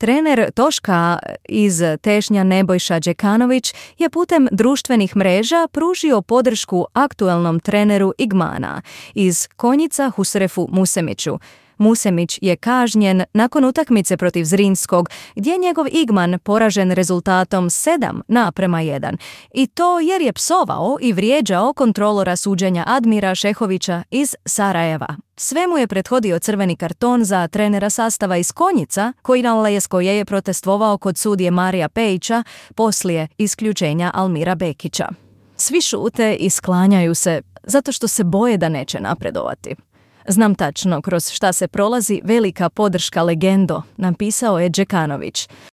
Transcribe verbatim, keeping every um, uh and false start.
Trener Toška iz Tešnja Nebojša Đekanović je putem društvenih mreža pružio podršku aktualnom treneru Igmana iz Konjica Husrefu Musemiću. Musemić je kažnjen nakon utakmice protiv Zrinskog, gdje je njegov Igman poražen rezultatom sedam naprema jedan. I to jer je psovao i vrijeđao kontrolora suđenja Admira Šehovića iz Sarajeva. Sve mu je prethodio crveni karton za trenera sastava iz Konjica, koji na Leskoje je protestovao kod sudije Marija Pejića poslije isključenja Almira Bekića. Svi šute i sklanjaju se zato što se boje da neće napredovati. Znam tačno kroz šta se prolazi velika podrška legendo, napisao je Đekanović.